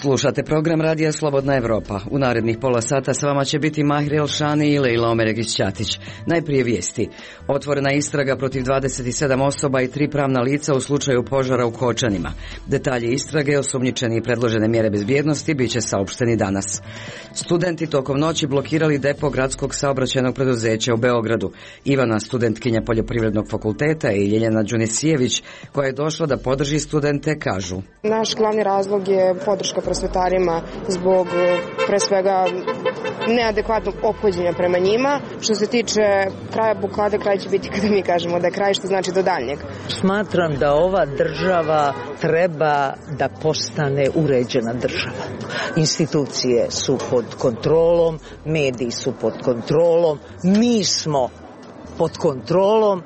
Slušate program Radija Slobodna Evropa. U narednih pola sata s vama će biti Mahir Elšani i Lejla Omeregić-Ćatić. Najprije vijesti. Otvorena istraga protiv 27 osoba i 3 pravna lica u slučaju požara u Kočanima. Detalji istrage, osumnjičeni i predložene mjere bezbjednosti bit će saopšteni danas. Studenti tokom noći blokirali depo gradskog saobraćajnog preduzeća u Beogradu. Ivana, studentkinja Poljoprivrednog fakulteta, i Ljeljana Đunisijević, koja je došla da podrži studente, kažu: Naš glavni razlog je podrška prosvetarima zbog pre svega neadekvatnog ophođenja prema njima. Što se tiče kraja blokade, kraj će biti kada mi kažemo da je kraj, što znači do daljnjeg. Smatram da ova država treba da postane uređena država. Institucije su pod kontrolom, mediji su pod kontrolom, mi smo pod kontrolom,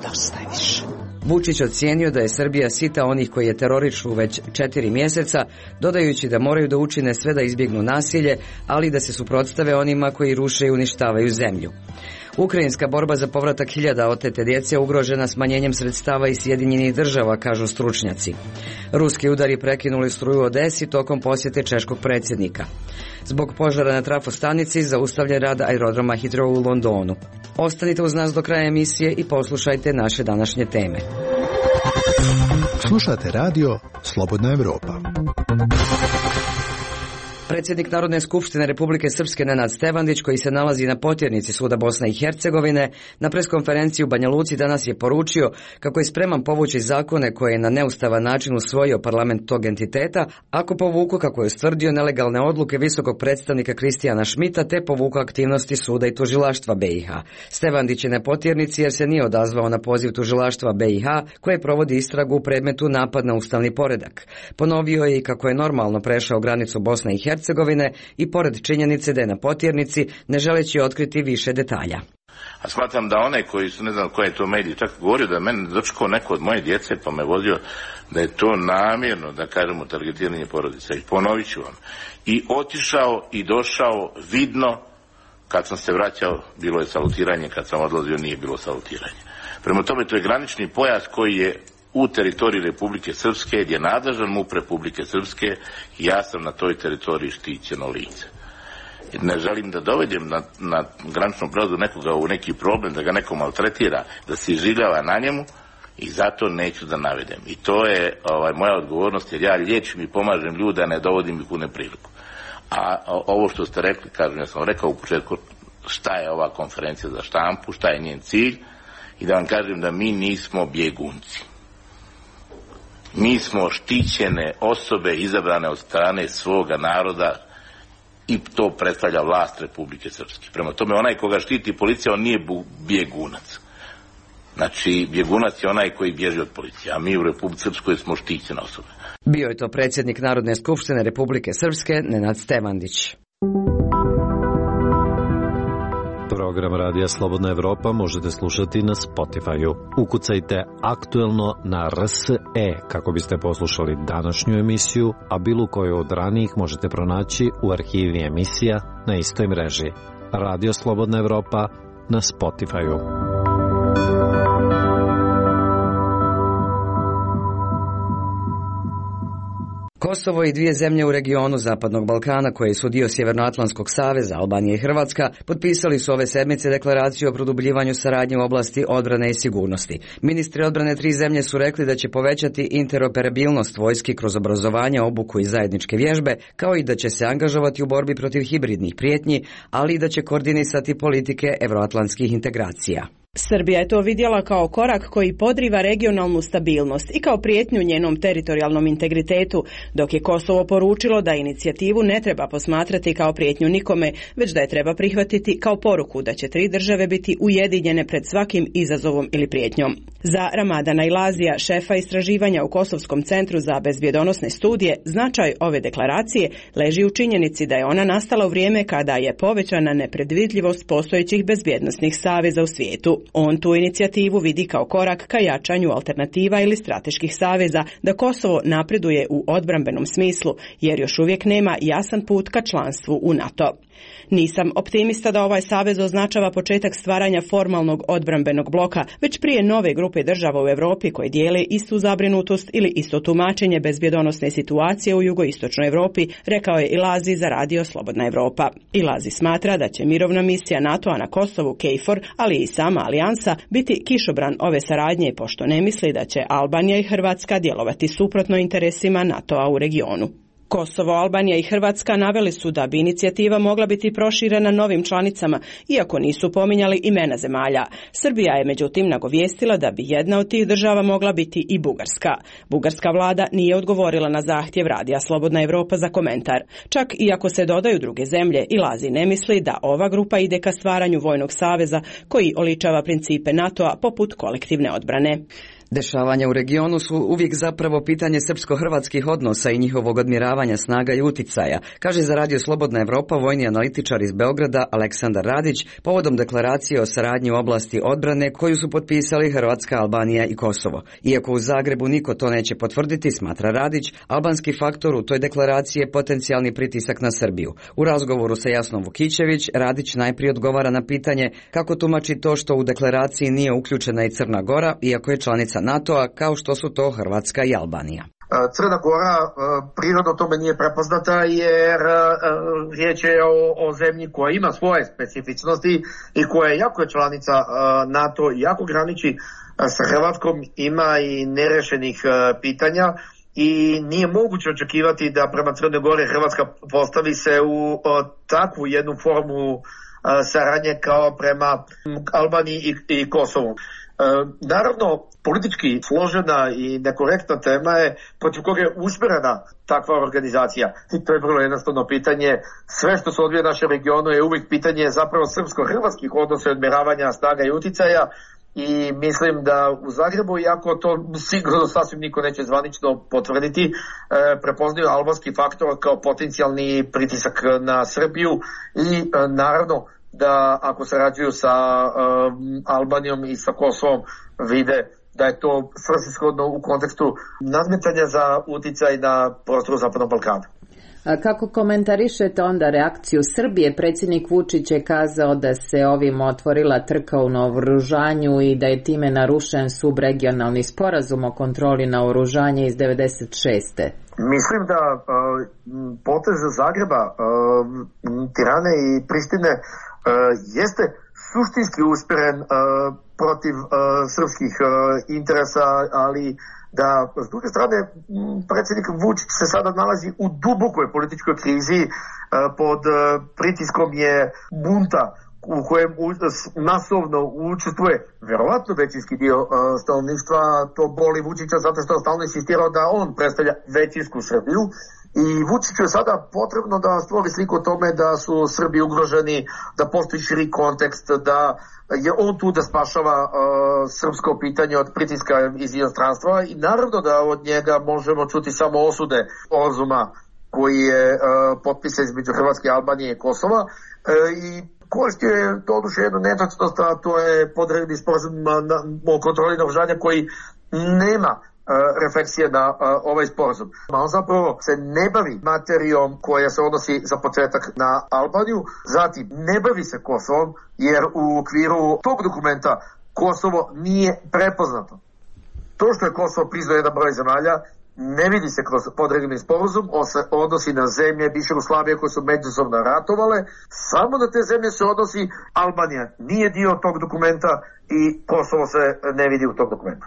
dosta je više. Vučić ocijenio da je Srbija sita onih koji je terorišu već 4 mjeseca, dodajući da moraju da učine sve da izbjegnu nasilje, ali da se suprotstave onima koji ruše i uništavaju zemlju. Ukrajinska borba za povratak hiljada otete djece ugrožena smanjenjem sredstava iz Sjedinjenih država, kažu stručnjaci. Ruski udari prekinuli struju u Odesi tokom posjete češkog predsjednika. Zbog požara na trafostanici zaustavljen rad aerodroma Heathrow u Londonu. Ostanite uz nas do kraja emisije i poslušajte naše današnje teme. Slušate radio Slobodna Evropa. Predsjednik Narodne skupštine Republike Srpske Nenad Stevandić, koji se nalazi na potjernici suda Bosne i Hercegovine, na preskonferenciji u Banja Luci danas je poručio kako je spreman povući zakone koje je na neustavan način usvojio parlament tog entiteta, ako povuku, kako je ustvrdio, nelegalne odluke visokog predstavnika Kristijana Šmita, te povuku aktivnosti suda i tužilaštva BiH. Stevandić je na potjernici jer se nije odazvao na poziv tužilaštva BiH koje provodi istragu u predmetu napad na ustavni poredak. Ponovio je i kako je normalno prešao granicu Bosne i Hercegovine i pored činjenice da je na potjernici, ne želeći otkriti više detalja. A smatram da one koji su, ne znam koje je to mediji, čak govorio da je mene dočekao neko od moje djece pa me vozio, da je to namjerno, da kažemo, targetiranje porodica. I ponovit ću vam. I otišao i došao vidno, kad sam se vraćao bilo je salutiranje, kad sam odlazio nije bilo salutiranje. Prema tome to je granični pojas koji je u teritoriji Republike Srpske, gdje je nadležan MUP Republike Srpske, i ja sam na toj teritoriji štićeno lice. Ne želim da dovedem na graničnom prelazu nekoga u neki problem, da ga neko maltretira, da se iživljava na njemu, i zato neću da navedem. I to je moja odgovornost, jer ja liječim i pomažem ljude, a ne dovodim ih u nepriliku. A ovo što ste rekli, kažem, ja sam rekao u početku šta je ova konferencija za štampu, šta je njen cilj, i da vam kažem da mi nismo bjegunci. Mi smo štićene osobe izabrane od strane svoga naroda i to predstavlja vlast Republike Srpske. Prema tome, onaj koga štiti policija, on nije bjegunac. Znači, bjegunac je onaj koji bježi od policije, a mi u Republici Srpskoj smo štićene osobe. Bio je to predsjednik Narodne skupštine Republike Srpske Nenad Stevandić. Program Radija Slobodna Evropa možete slušati na Spotify-u. Ukucajte aktuelno na RSE kako biste poslušali današnju emisiju, a bilo koju od ranijih možete pronaći u arhivi emisija na istoj mreži. Radio Slobodna Evropa na Spotify-u. Kosovo i 2 zemlje u regionu Zapadnog Balkana, koje su dio Sjevernoatlantskog saveza, Albanija i Hrvatska, potpisali su ove sedmice deklaraciju o produbljivanju saradnje u oblasti odbrane i sigurnosti. Ministri odbrane 3 zemlje su rekli da će povećati interoperabilnost vojski kroz obrazovanje, obuku i zajedničke vježbe, kao i da će se angažovati u borbi protiv hibridnih prijetnji, ali i da će koordinisati politike evroatlantskih integracija. Srbija je to vidjela kao korak koji podriva regionalnu stabilnost i kao prijetnju njenom teritorijalnom integritetu, dok je Kosovo poručilo da inicijativu ne treba posmatrati kao prijetnju nikome, već da je treba prihvatiti kao poruku da će 3 države biti ujedinjene pred svakim izazovom ili prijetnjom. Za Ramadana Ilazija, šefa istraživanja u Kosovskom centru za bezbjedonosne studije, značaj ove deklaracije leži u činjenici da je ona nastala u vrijeme kada je povećana nepredvidljivost postojećih bezbjednosnih saveza u svijetu. On tu inicijativu vidi kao korak ka jačanju alternativa ili strateških saveza da Kosovo napreduje u odbrambenom smislu, jer još uvijek nema jasan put ka članstvu u NATO. Nisam optimista da ovaj savez označava početak stvaranja formalnog odbrambenog bloka, već prije nove grupe država u Europi koje dijele istu zabrinutost ili isto tumačenje bezbjedonosne situacije u jugoistočnoj Europi, rekao je Ilazi za radio Slobodna Evropa. Ilazi smatra da će mirovna misija NATO-a na Kosovu KFOR, ali i sama alijansa, biti kišobran ove saradnje, pošto ne misli da će Albanija i Hrvatska djelovati suprotno interesima NATO-a u regionu. Kosovo, Albanija i Hrvatska naveli su da bi inicijativa mogla biti proširena novim članicama, iako nisu pominjali imena zemalja. Srbija je međutim nagovijestila da bi jedna od tih država mogla biti i Bugarska. Bugarska vlada nije odgovorila na zahtjev radija Slobodna Evropa za komentar. Čak i ako se dodaju druge zemlje, Ilazi ne misli da ova grupa ide ka stvaranju vojnog saveza koji oličava principe NATO-a poput kolektivne odbrane. Dešavanja u regionu su uvijek zapravo pitanje srpsko-hrvatskih odnosa i njihovog odmjeravanja snaga i uticaja, kaže za radio Slobodna Evropa vojni analitičar iz Beograda Aleksandar Radić povodom deklaracije o saradnji u oblasti odbrane koju su potpisali Hrvatska, Albanija i Kosovo. Iako u Zagrebu niko to neće potvrditi, smatra Radić, albanski faktor u toj deklaraciji je potencijalni pritisak na Srbiju. U razgovoru sa Jasnom Vukićević, Radić najprije odgovara na pitanje kako tumači to što u deklaraciji nije uključena i Crna Gora, iako je članica NATO-a, kao što su to Hrvatska i Albanija. Crna Gora prirodno tome nije prepoznata jer riječ je o zemlji koja ima svoje specifičnosti i koja je jako članica NATO, jako graniči sa Hrvatskom, ima i nerešenih pitanja i nije moguće očekivati da prema Crnoj Gori Hrvatska postavi se u takvu jednu formu saradnje kao prema Albaniji i Kosovu. Naravno, politički složena i nekorektna tema je protiv koga je usmjerena takva organizacija. I to je vrlo jednostavno pitanje. Sve što se odvija u našem regionu je uvijek pitanje zapravo srpsko-hrvatskih odnosa i odmjeravanja snaga i uticaja. I mislim da u Zagrebu, iako to sigurno sasvim niko neće zvanično potvrditi, prepoznaju albanski faktor kao potencijalni pritisak na Srbiju i naravno da ako sarađuju sa Albanijom i sa Kosovom vide da je to svrsishodno u kontekstu nadmetanja za uticaj na prostoru Zapadnog Balkana. A kako komentarišete onda reakciju Srbije? Predsjednik Vučić je kazao da se ovim otvorila trka u naoružanju i da je time narušen subregionalni sporazum o kontroli naoružanja iz 96. Mislim da potez Zagreba, Tirane i Prištine jeste suštinski usmjeren protiv srpskih interesa, ali da s druge strane predsjednik Vučić se sada nalazi u dubokoj političkoj krizi, pod pritiskom je bunta u kojem masovno učestvuje verovatno većinski dio stanovništva. To boli Vučića zato što je stalno insistirao da on predstavlja većinsku Srbiju. I Vučiću je sada potrebno da stvori sliku o tome da su Srbi ugroženi, da postoji širi kontekst, da je on tu da spašava srpsko pitanje od pritiska iz inostranstva i naravno da od njega možemo čuti samo osude sporazuma koji je potpisan između Hrvatske, Albanije i Kosova i koristio je doduše jednu netačnost, a to je podredni sporazum o kontroli naoružanja koji nema refleksije na ovaj sporazum. On zapravo se ne bavi materijom koja se odnosi za početak na Albaniju, zatim ne bavi se Kosovom jer u okviru tog dokumenta Kosovo nije prepoznato. To što je Kosovo priznao jedan broj zemalja ne vidi se kroz podregulni sporazum, on se odnosi na zemlje bivše Jugoslavije koje su međusobno ratovale, samo na te zemlje se odnosi. Albanija nije dio tog dokumenta i Kosovo se ne vidi u tog dokumenta.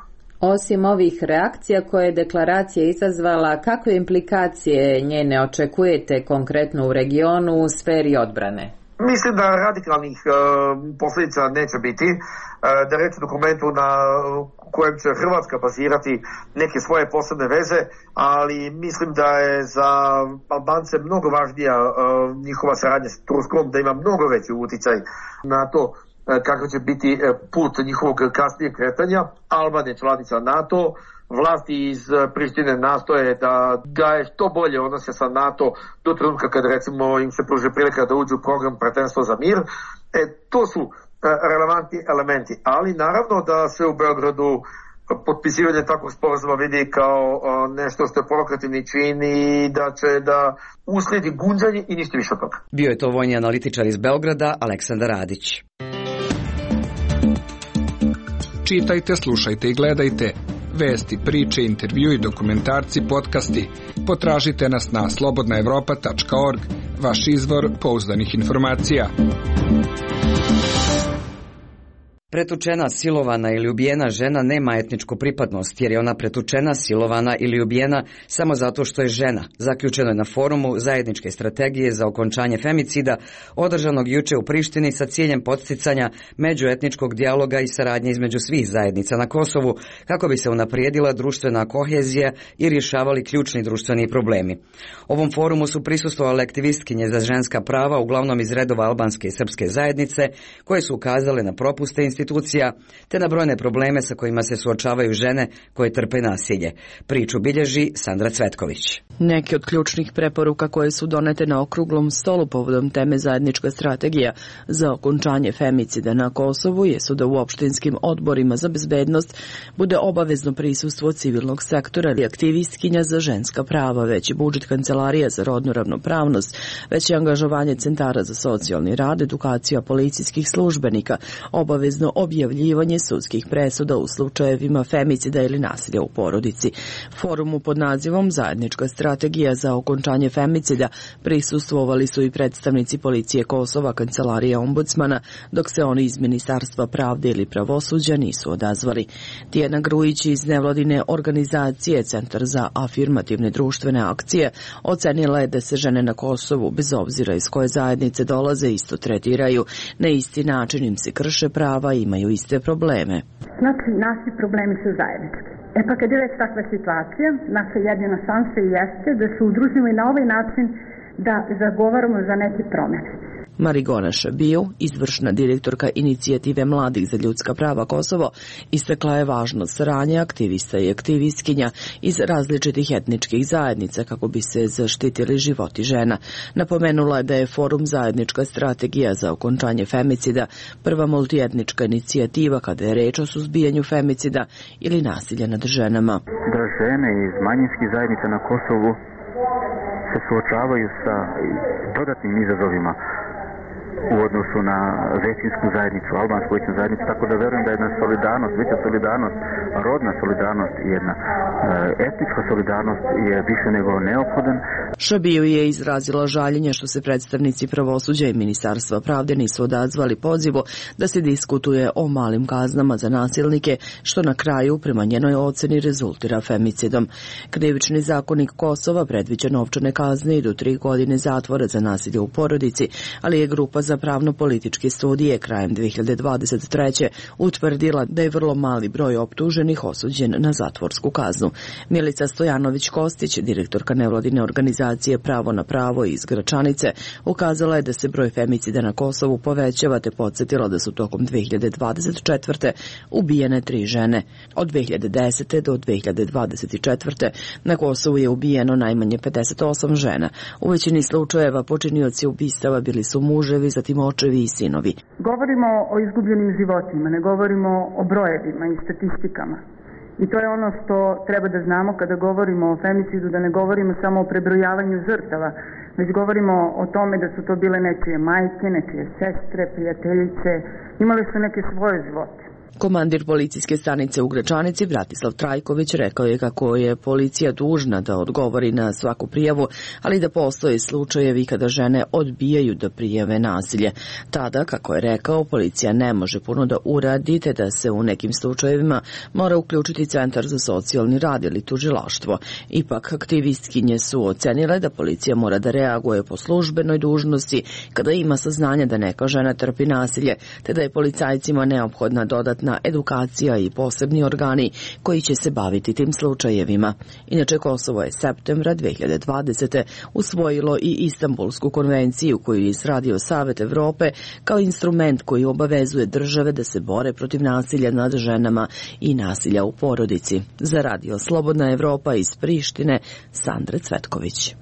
Osim ovih reakcija koje je deklaracija izazvala, kakve implikacije njene očekujete konkretno u regionu u sferi odbrane? Mislim da radikalnih posljedica neće biti, da reč o dokumentu na kojem će Hrvatska bazirati neke svoje posebne veze, ali mislim da je za Albance mnogo važnija njihova saradnja s Turskom, da ima mnogo veći utjecaj na to kako će biti put njihovog kasnijeg kretanja. Albanija je članica NATO, vlasti iz Prištine nastoje da gaje što bolje odnose sa NATO do trenutka kad recimo im se pruži prilika da uđu u program Partnerstvo za mir. To su relevantni elementi, ali naravno da se u Beogradu potpisivanje takvog sporazuma vidi kao nešto što je provokativni čin i da će da uslijedi gunđanje i ništa više od toga. Bio je to vojni analitičar iz Beograda, Aleksandar Radić. Čitajte, slušajte i gledajte vesti, priče, intervju i dokumentarci, podcasti. Potražite nas na slobodnaevropa.org, vaš izvor pouzdanih informacija. Pretučena, silovana ili ubijena žena nema etničku pripadnost, jer je ona pretučena, silovana ili ubijena samo zato što je žena. Zaključeno je na forumu zajedničke strategije za okončanje femicida, održanog juče u Prištini sa ciljem podsticanja međuetničkog dijaloga i saradnje između svih zajednica na Kosovu, kako bi se unaprijedila društvena kohezija i rješavali ključni društveni problemi. Ovom forumu su prisustvovale aktivistkinje za ženska prava, uglavnom iz redova albanske i srpske zajednice, koje su ukazale na propuste institucija te na brojne probleme sa kojima se suočavaju žene koje trpe nasilje. Priču bilježi Sandra Cvetković. Neke od ključnih preporuka koje su donete na okruglom stolu povodom teme zajednička strategija za okončanje femicida na Kosovu jesu da u opštinskim odborima za bezbednost bude obavezno prisustvo civilnog sektora ili aktivistkinja za ženska prava, veći budžet kancelarija za rodnu ravnopravnost, veće angažovanje centara za socijalni rad, edukacija policijskih službenika, obavezno objavljivanje sudskih presuda u slučajevima femicida ili nasilja u porodici. Forumu pod nazivom Zajednička strategija za okončanje femicida prisustvovali su i predstavnici policije Kosova, kancelarija ombudsmana, dok se oni iz Ministarstva pravde ili pravosuđa nisu odazvali. Tijana Grujić iz nevladine organizacije Centar za afirmativne društvene akcije ocenila je da se žene na Kosovu, bez obzira iz koje zajednice dolaze, isto tretiraju. Na isti način im se krše prava i imaju iste probleme. Znači, naši problemi su zajednički. Pa kad je već takva situacija, naša jedina šansa jeste da se udružimo i na ovaj način da zagovaramo za neke promjene. Marigona Šabiju, izvršna direktorka inicijative Mladih za ljudska prava Kosovo, istakla je važnost saradnje aktivista i aktivistkinja iz različitih etničkih zajednica kako bi se zaštitili životi žena. Napomenula je da je forum Zajednička strategija za okončanje femicida prva multietnička inicijativa kada je reč o suzbijanju femicida ili nasilja nad ženama. Da žene iz manjinskih zajednica na Kosovu se suočavaju sa dodatnim izazovima u odnosu na većinsku zajednicu, albansku većinsku zajednicu, tako da verujem da jedna solidarnost, veća solidarnost, rodna solidarnost i jedna etnička solidarnost je više nego neophodan. Šabiju je izrazila žaljenje što se predstavnici pravosuđa i Ministarstva pravde nisu odazvali pozivu da se diskutuje o malim kaznama za nasilnike, što na kraju, prema njenoj oceni, rezultira femicidom. Krivični zakonik Kosova predviđa novčane kazne i do 3 godine zatvora za nasilje u porodici, ali je grupa za pravno-političke studije krajem 2023. utvrdila da je vrlo mali broj optuženih osuđen na zatvorsku kaznu. Milica Stojanović-Kostić, direktorka nevladine organizacije Pravo na pravo iz Gračanice, ukazala je da se broj femicida na Kosovu povećava te podsjetila da su tokom 2024. ubijene 3 žene. Od 2010. do 2024. na Kosovu je ubijeno najmanje 58 žena. U većini slučajeva počinioci ubistava bili su muževi, zatim očevi i sinovi. Govorimo o izgubljenim životima, ne govorimo o brojevima i statistikama. I to je ono što treba da znamo kada govorimo o femicidu, da ne govorimo samo o prebrojavanju žrtava, već govorimo o tome da su to bile nečije majke, nečije sestre, prijateljice, imali su neke svoje živote. Komandir policijske stanice u Gračanici, Bratislav Trajković, rekao je kako je policija dužna da odgovori na svaku prijavu, ali da postoje slučajevi kada žene odbijaju da prijave nasilje. Tada, kako je rekao, policija ne može puno da uradi, te da se u nekim slučajevima mora uključiti Centar za socijalni rad ili tužilaštvo. Ipak, aktivistkinje su ocenile da policija mora da reaguje po službenoj dužnosti kada ima saznanja da neka žena trpi nasilje, te da je policajcima neophodna dodatna edukacija i posebni organi koji će se baviti tim slučajevima. Inače, Kosovo je septembra 2020. usvojilo i Istanbulsku konvenciju koju je izradio Savet Evrope kao instrument koji obavezuje države da se bore protiv nasilja nad ženama i nasilja u porodici. Za radio Slobodna Evropa iz Prištine, Sandra Cvetković.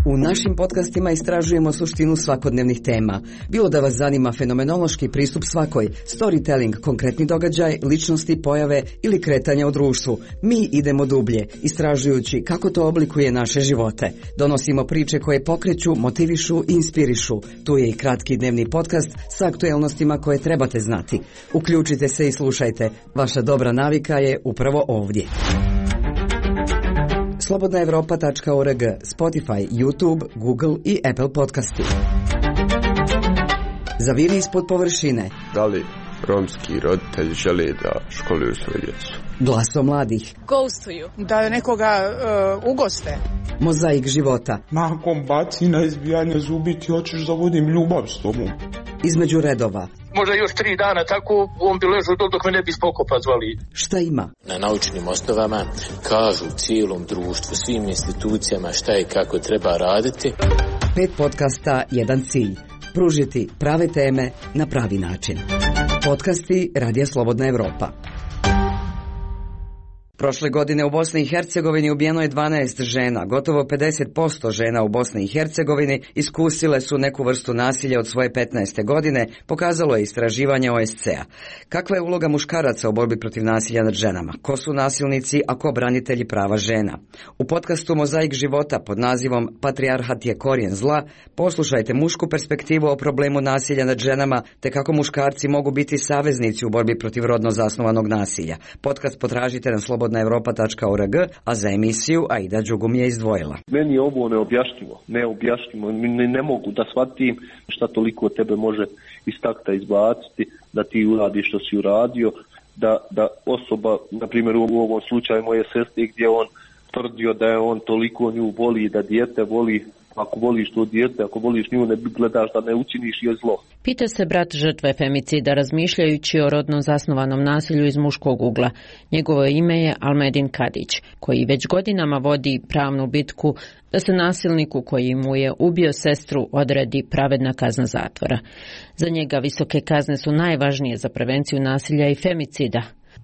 U U našim podcastima istražujemo suštinu svakodnevnih tema. Bilo da vas zanima fenomenološki pristup svakoj, storytelling, konkretni događaj, ličnosti, pojave ili kretanja u društvu, mi idemo dublje, istražujući kako to oblikuje naše živote. Donosimo priče koje pokreću, motivišu i inspirišu. Tu je i kratki dnevni podcast sa aktuelnostima koje trebate znati. Uključite se i slušajte. Vaša dobra navika je upravo ovdje. Slobodnaevropa.org, Spotify, YouTube, Google i Apple podcasti. Zaviri ispod površine. Da li romski roditelji žele da školuju svoju djecu? Glasom mladih. Ghostuju. Da nekoga ugoste. Mozaik života. Nakon bacina, izbijanja zubi ti hoćeš da vodim ljubav s tobom. Između redova. Možda još 3 dana tako on bi ležao dok me ne bi spokopa zvali. Šta ima? Na naučnim osnovama kažu cijelom društvu, svim institucijama šta i kako treba raditi. 5 podcasta, jedan cilj. Pružiti prave teme na pravi način. Podcasti Radija Slobodna Evropa. Prošle godine u Bosni i Hercegovini ubijeno je 12 žena. Gotovo 50% žena u Bosni i Hercegovini iskusile su neku vrstu nasilja od svoje 15. godine, pokazalo je istraživanje OSCE-a. Kakva je uloga muškaraca u borbi protiv nasilja nad ženama? Ko su nasilnici, a ko branitelji prava žena? U podcastu Mozaik života pod nazivom Patrijarhat je korijen zla poslušajte mušku perspektivu o problemu nasilja nad ženama te kako muškarci mogu biti saveznici u borbi protiv rodno zasnovanog nasilja. Podcast potražite na slobodnaevropa.org, a za emisiju Aida Đugum je izdvojila. Meni je ovo neobjašnjivo. Ne mogu da shvatim šta toliko tebe može iz takta izbaciti, da ti uradiš što si uradio, da osoba, na primjer u ovom slučaju moje sestre, gdje on tvrdio da je on toliko nju voli, da dijete voli. Ako voliš to dijete, ako voliš nju, ne gledaš da ne učiniš joj zlo. Pita se brat žrtve femicida razmišljajući o rodno zasnovanom nasilju iz muškog ugla. Njegovo ime je Almedin Kadić, koji već godinama vodi pravnu bitku da se nasilniku koji mu je ubio sestru odredi pravedna kazna zatvora. Za njega visoke kazne su najvažnije za prevenciju nasilja i femicida,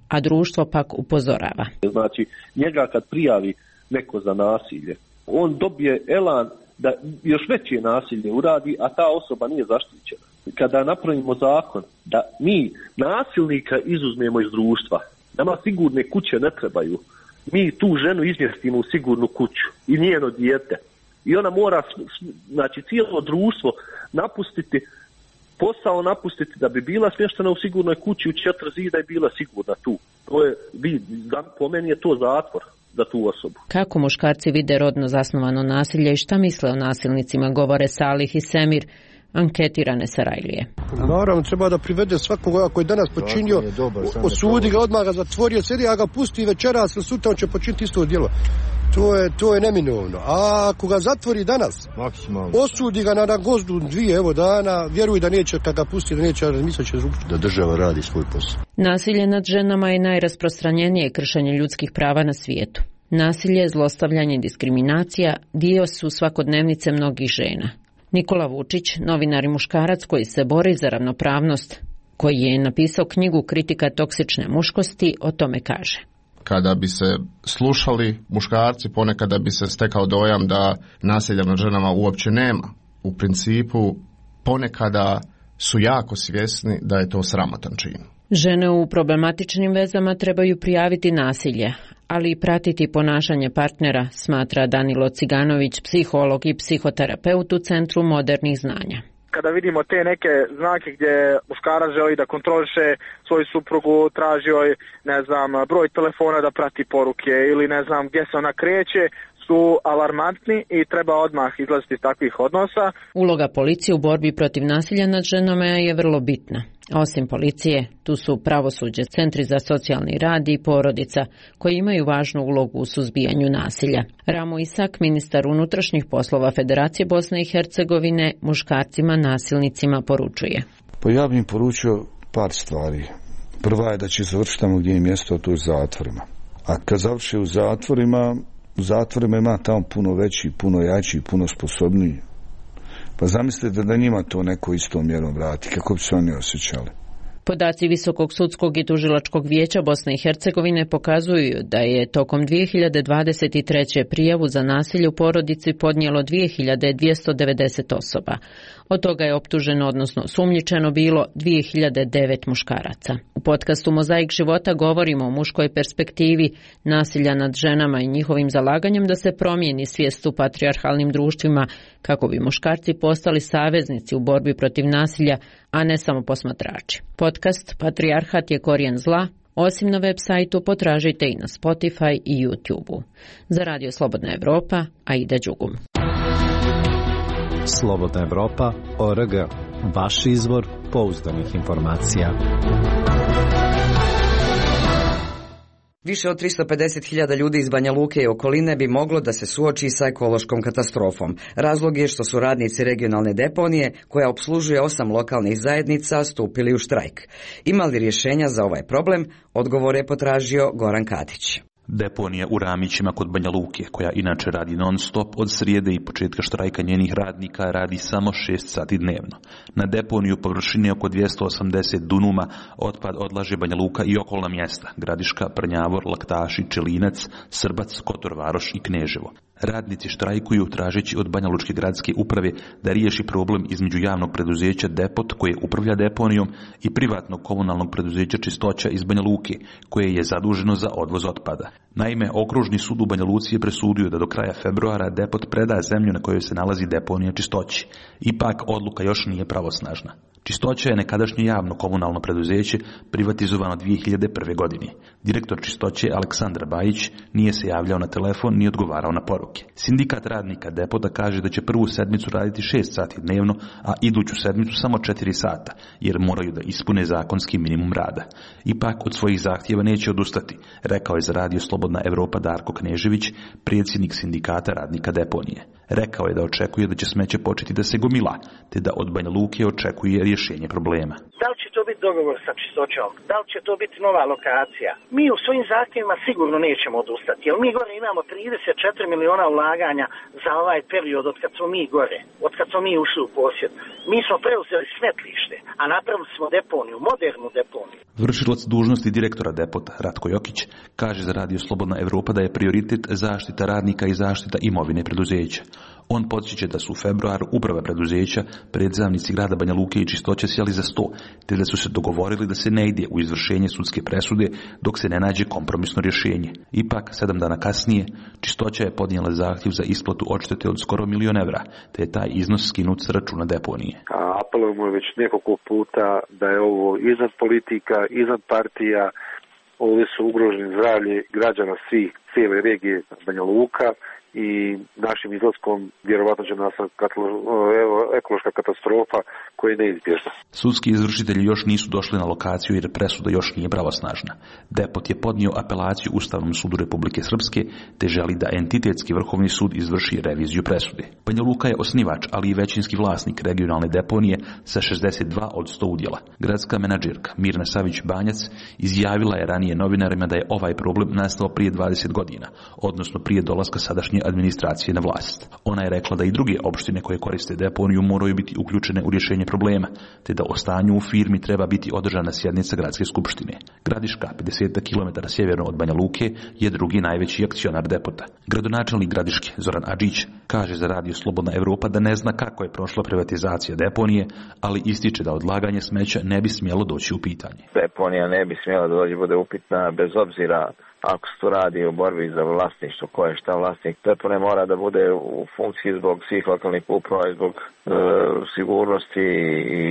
a društvo pak upozorava. Znači, njega kad prijavi neko za nasilje, on dobije elan da još veće nasilje uradi, a ta osoba nije zaštićena. Kada napravimo zakon da mi nasilnika izuzmemo iz društva, nama sigurne kuće ne trebaju, mi tu ženu izmjestimo u sigurnu kuću i njeno dijete. I ona mora, znači cijelo društvo napustiti, posao napustiti da bi bila smještena u sigurnoj kući u 4 zida i bila sigurna tu. To je, po meni je to zatvor za tu osobu. Kako muškarci vide rodno zasnovano nasilje i šta misle o nasilnicima, govore Salih i Semir, anketirane Sarajlije. Naravno, treba da privede svakoga koji je danas počinio, osudi ga, odmah ga zatvorio, sedi, a ga pusti večeras ili sutra, on će počiniti isto djelo. To je neminovno. A ako ga zatvori danas, osudi ga na gozdu 2 dana, vjeruj da neće, kad ga pusti, da neće razmisliti da država radi svoj posao. Nasilje nad ženama je najrasprostranjenije kršenje ljudskih prava na svijetu. Nasilje, zlostavljanje i diskriminacija dio su svakodnevnice mnogih žena. Nikola Vučić, novinar i muškarac koji se bori za ravnopravnost, koji je napisao knjigu Kritika toksične muškosti, o tome kaže. Kada bi se slušali muškarci, ponekada bi se stekao dojam da nasilja nad ženama uopće nema. U principu, ponekada su jako svjesni da je to sramotan čin. Žene u problematičnim vezama trebaju prijaviti nasilje, ali i pratiti ponašanje partnera, smatra Danilo Ciganović, psiholog i psihoterapeut u Centru modernih znanja. Kada vidimo te neke znake gdje muškarac želi da kontroliše svoju suprugu, traži joj, broj telefona da prati poruke ili gdje se ona kreće, su alarmantni i treba odmah izlaziti iz takvih odnosa. Uloga policije u borbi protiv nasilja nad ženama je vrlo bitna. Osim policije, tu su pravosuđe, centri za socijalni rad i porodica, koji imaju važnu ulogu u suzbijanju nasilja. Ramo Isak, ministar unutrašnjih poslova Federacije Bosne i Hercegovine, muškarcima nasilnicima poručuje. Pa ja bih im poručio par stvari. Prva je da će završiti tamo gdje je mjesto, to je zatvorima. A kad završi u zatvorima ima tamo puno veći, puno jači, puno sposobniji. Pa zamislite da njima to neko istom mjerom vrati, kako bi se oni osjećali. Podaci Visokog sudskog i tužilačkog vijeća Bosne i Hercegovine pokazuju da je tokom 2023. prijavu za nasilje u porodici podnijelo 2290 osoba. Od toga je optuženo, odnosno sumnjičeno bilo 2009 muškaraca. U podcastu Mozaik života govorimo o muškoj perspektivi nasilja nad ženama i njihovim zalaganjem da se promijeni svijest u patrijarhalnim društvima kako bi muškarci postali saveznici u borbi protiv nasilja, a ne samo posmatrači. Podcast Patrijarhat je korijen zla. Osim na web sajtu, potražite i na Spotify i YouTube-u. Za Radio Slobodna Evropa, Aida Đugum. Slobodna Evropa.org. Vaš izvor pouzdanih informacija. Više od 350.000 ljudi iz Banja Luke i okoline bi moglo da se suoči sa ekološkom katastrofom. Razlog je što su radnici regionalne deponije, koja opslužuje 8 lokalnih zajednica, stupili u štrajk. Ima li rješenja za ovaj problem? Odgovor je potražio Goran Katić. Deponija u Ramićima kod Banja Luke, koja inače radi non stop od srijede i početka štrajka njenih radnika, radi samo 6 sati dnevno. Na deponiju površine oko 280 dunuma otpad odlaže Banja Luka i okolna mjesta: Gradiška, Prnjavor, Laktaši, Čelinac, Srbac, Kotor Varoš i Kneževo. Radnici štrajkuju tražeći od Banja Lučke gradske uprave da riješi problem između javnog preduzeća Depot, koje upravlja deponijom, i privatnog komunalnog preduzeća Čistoća iz Banja Luke, koje je zaduženo za odvoz otpada. Naime, Okružni sud u Banja Luci je presudio da do kraja februara Depot preda zemlju na kojoj se nalazi deponija Čistoći. Ipak odluka još nije pravosnažna. Čistoća je nekadašnje javno komunalno preduzeće privatizovano 2001. godine. Direktor Čistoće Aleksandar Bajić nije se javljao na telefon ni odgovarao na poruke. Sindikat radnika Depota kaže da će prvu sedmicu raditi 6 sati dnevno, a iduću sedmicu samo 4 sata, jer moraju da ispune zakonski minimum rada. Ipak od svojih zahtjeva neće odustati, rekao je za Radio Slobodna Evropa Darko Knežević, predsjednik sindikata radnika deponije. Rekao je da očekuje da će smeće početi da se gomila, te da od Banja Luke očekuje rješenje problema. Da li će to biti dogovor sa Čistoćom? Da li će to biti nova lokacija? Mi u svojim zahtjevima sigurno nećemo odustati, jer mi gore imamo 34 miliona ulaganja za ovaj period od kad smo mi gore, od kad smo mi ušli u posjed. Mi smo preuzeli smetlište, a napravili smo deponiju, modernu deponiju. Vršilac dužnosti direktora Depota, Ratko Jokić, kaže za Radio Slobodna Evropa da je prioritet zaštita radnika i zaštita imovine preduzeća. On podsjeća da su u februaru uprava preduzeća, predstavnici grada Banja Luke i Čistoće sjeli za sto, te da su se dogovorili da se ne ide u izvršenje sudske presude dok se ne nađe kompromisno rješenje. Ipak, 7 dana kasnije, Čistoća je podnijela zahtjev za isplatu odštete od skoro $1 milion, te je taj iznos skinut s računa deponije. Apelujemo već nekoliko puta da je ovo iznad politika, iznad partija, ovdje su ugroženi zdravlje građana svih, cijele regije Banja Luka, i našim izlaskom vjerovatno će nastati ekološka katastrofa koja je neizbježna. Sudski izvršitelji još nisu došli na lokaciju jer presuda još nije pravosnažna. Depot je podnio apelaciju Ustavnom sudu Republike Srpske te želi da entitetski vrhovni sud izvrši reviziju presude. Banja Luka je osnivač, ali i većinski vlasnik regionalne deponije sa 62 od 100 udjela. Gradska menadžerka Mirna Savić-Banjac izjavila je ranije novinarima da je ovaj problem nastao prije 20 godina, odnosno prije dolaska sadašnje administracije na vlast. Ona je rekla da i druge opštine koje koriste deponiju moraju biti uključene u rješenje problema, te da o stanju u firmi treba biti održana sjednica gradske skupštine. Gradiška, 50 km sjeverno od Banja Luke, je drugi najveći akcionar Depota. Gradonačelnik Gradiške, Zoran Adžić, kaže za Radio Slobodna Evropa da ne zna kako je prošla privatizacija deponije, ali ističe da odlaganje smeća ne bi smjelo doći u pitanje. Deponija ne bi smjela da bude upitna bez obzira ako se to radi u borbi za vlasništvo, ko je šta vlasnik. Depone mora da bude u funkciji zbog svih lokalnih uprava i zbog sigurnosti i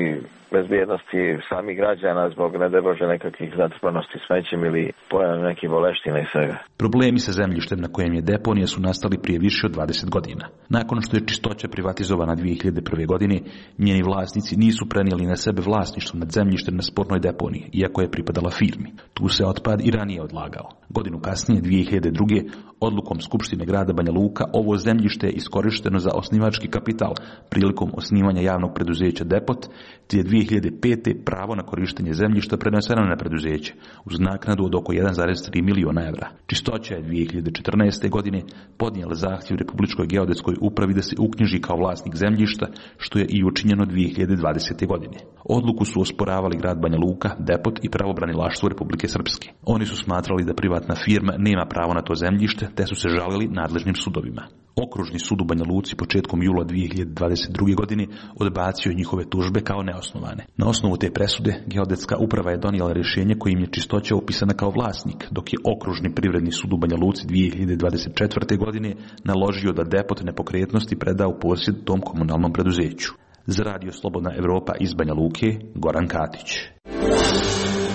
bezbjednosti samih građana, zbog ne daj Bože nekakvih zatrpanosti smećem ili pojave nekih boleština i svega. Problemi sa zemljištem na kojem je deponija su nastali prije više od 20 godina. Nakon što je Čistoća privatizovana 2001. godine, njeni vlasnici nisu prenijeli na sebe vlasništvo nad zemljištem na spornoj deponiji, iako je pripadala firmi. Tu se otpad i ranije odlagao. Godinu kasnije, 2002. Odlukom Skupštine grada Banja Luka ovo zemljište je iskorišteno za osnivački kapital prilikom osnivanja javnog preduzeća Depot, te je 2005. pravo na korištenje zemljišta preneseno na preduzeće uz naknadu od oko 1,3 miliona evra. Čistoća je 2014. godine podnijela zahtjev Republičkoj geodetskoj upravi da se uknjiži kao vlasnik zemljišta, što je i učinjeno 2020. godine. Odluku su osporavali grad Banja Luka, Depot i pravobranilaštvo Republike Srpske. Oni su smatrali da privatna firma nema pravo na to zemljište, te su se žalili nadležnim sudovima. Okružni sud u Banja Luci početkom jula 2022. godine odbacio njihove tužbe kao neosnovane. Na osnovu te presude, geodetska uprava je donijela rješenje kojim je Čistoća upisana kao vlasnik, dok je Okružni privredni sud u Banja Luci 2024. godine naložio da Depot nepokretnosti preda u posjed tom komunalnom preduzeću. Za Radio Slobodna Evropa iz Banja Luke, Goran Katić.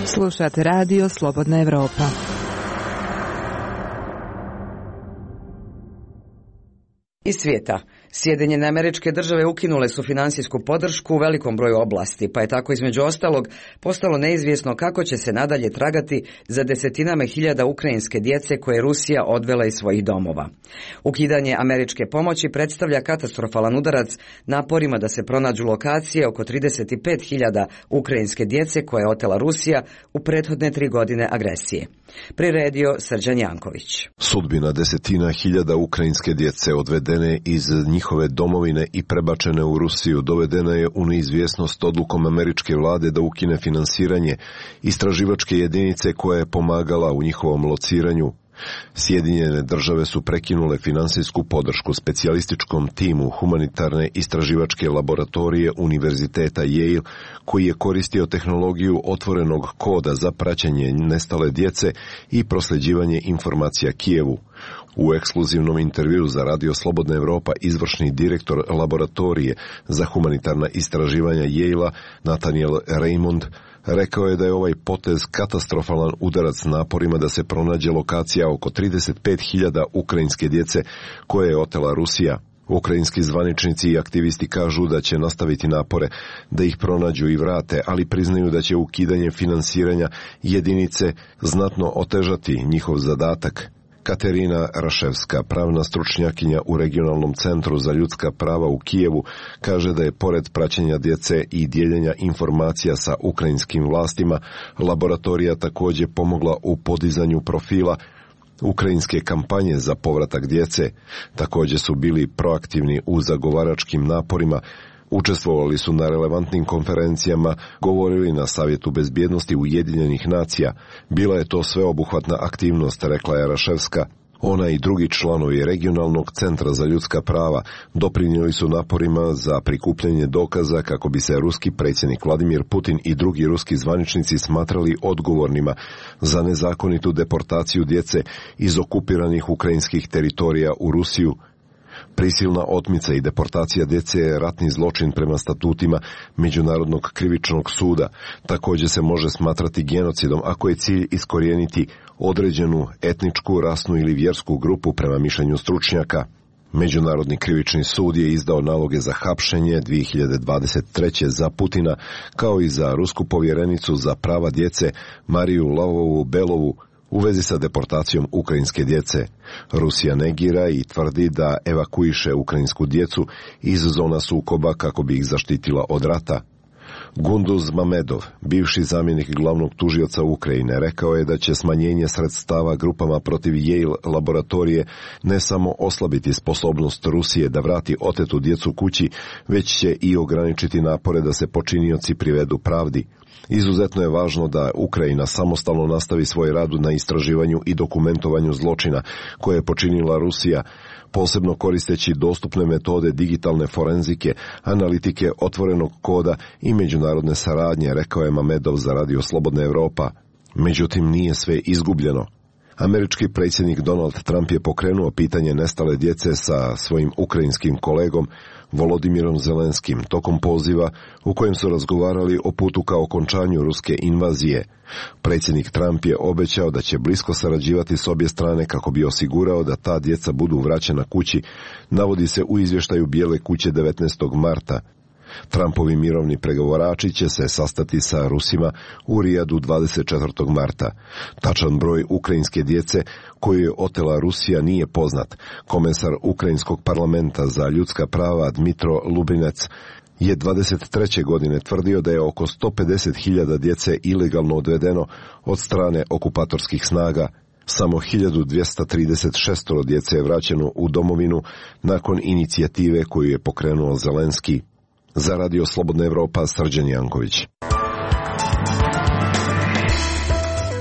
Slušate Radio Slobodna Evropa. Iz svijeta. Sjedinjene Američke Države ukinule su financijsku podršku u velikom broju oblasti, pa je tako između ostalog postalo neizvjesno kako će se nadalje tragati za desetinama hiljada ukrajinske djece koje je Rusija odvela iz svojih domova. Ukidanje američke pomoći predstavlja katastrofalan udarac naporima da se pronađu lokacije oko 35.000 ukrajinske djece koje je otela Rusija u prethodne 3 godine agresije. Priredio Srđan Janković. Sudbina desetina hiljada ukrajinske djece odvedene iz njihove domovine i prebačene u Rusiju dovedena je u neizvjesnost odlukom američke vlade da ukine finansiranje istraživačke jedinice koja je pomagala u njihovom lociranju. Sjedinjene Države su prekinule finansijsku podršku specijalističkom timu humanitarne istraživačke laboratorije Univerziteta Yale, koji je koristio tehnologiju otvorenog koda za praćenje nestale djece i prosljeđivanje informacija Kijevu. U ekskluzivnom intervjuu za Radio Slobodna Evropa izvršni direktor laboratorije za humanitarna istraživanja Yale-a Nathaniel Raymond rekao je da je ovaj potez katastrofalan udarac naporima da se pronađe lokacija oko 35.000 ukrajinske djece koje je otela Rusija. Ukrajinski zvaničnici i aktivisti kažu da će nastaviti napore da ih pronađu i vrate, ali priznaju da će ukidanje finansiranja jedinice znatno otežati njihov zadatak. Katerina Raševska, pravna stručnjakinja u Regionalnom centru za ljudska prava u Kijevu, kaže da je pored praćenja djece i dijeljenja informacija sa ukrajinskim vlastima, laboratorija također pomogla u podizanju profila ukrajinske kampanje za povratak djece. Također su bili proaktivni u zagovaračkim naporima, učestvovali su na relevantnim konferencijama, govorili na Savjetu bezbjednosti Ujedinjenih nacija. Bila je to sveobuhvatna aktivnost, rekla je Raševska. Ona i drugi članovi Regionalnog centra za ljudska prava doprinijeli su naporima za prikupljanje dokaza kako bi se ruski predsjednik Vladimir Putin i drugi ruski zvaničnici smatrali odgovornima za nezakonitu deportaciju djece iz okupiranih ukrajinskih teritorija u Rusiju. Prisilna otmica i deportacija djece je ratni zločin prema statutima Međunarodnog krivičnog suda. Također se može smatrati genocidom ako je cilj iskorijeniti određenu etničku, rasnu ili vjersku grupu prema mišljenju stručnjaka. Međunarodni krivični sud je izdao naloge za hapšenje 2023. za Putina, kao i za rusku povjerenicu za prava djece Mariju Lavovu-Belovu u vezi sa deportacijom ukrajinske djece. Rusija negira i tvrdi da evakuiše ukrajinsku djecu iz zona sukoba kako bi ih zaštitila od rata. Gunduz Mamedov, bivši zamjenik glavnog tužioca Ukrajine, rekao je da će smanjenje sredstava grupama protiv Yale laboratorije ne samo oslabiti sposobnost Rusije da vrati otetu djecu kući, već će i ograničiti napore da se počinioci privedu pravdi. Izuzetno je važno da Ukrajina samostalno nastavi svoj rad na istraživanju i dokumentovanju zločina koje je počinila Rusija, posebno koristeći dostupne metode digitalne forenzike, analitike otvorenog koda i međunarodne saradnje, rekao je Mamedov za Radio Slobodna Evropa. Međutim, nije sve izgubljeno. Američki predsjednik Donald Trump je pokrenuo pitanje nestale djece sa svojim ukrajinskim kolegom Volodimirom Zelenskim tokom poziva u kojem su razgovarali o putu ka okončanju ruske invazije. Predsjednik Trump je obećao da će blisko sarađivati s obje strane kako bi osigurao da ta djeca budu vraćena kući, navodi se u izvještaju Bijele kuće 19. marta. Trumpovi mirovni pregovorači će se sastati sa Rusima u Rijadu 24. marta. Tačan broj ukrajinske djece koju je otela Rusija nije poznat. Komesar Ukrajinskog parlamenta za ljudska prava Dmitro Lubinec je 23. godine tvrdio da je oko 150.000 djece ilegalno odvedeno od strane okupatorskih snaga. Samo 1236 djece je vraćeno u domovinu nakon inicijative koju je pokrenuo Zelenski. Za Radio Slobodna Evropa, Srđan Janković.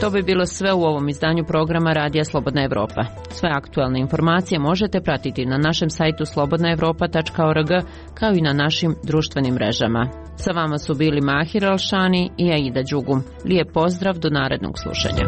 To bi bilo sve u ovom izdanju programa Radija Slobodna Evropa. Sve aktualne informacije možete pratiti na našem sajtu slobodnaevropa.org kao i na našim društvenim mrežama. Sa vama su bili Mahir Alšani i Aida Đugum. Lijep pozdrav, do narednog slušanja.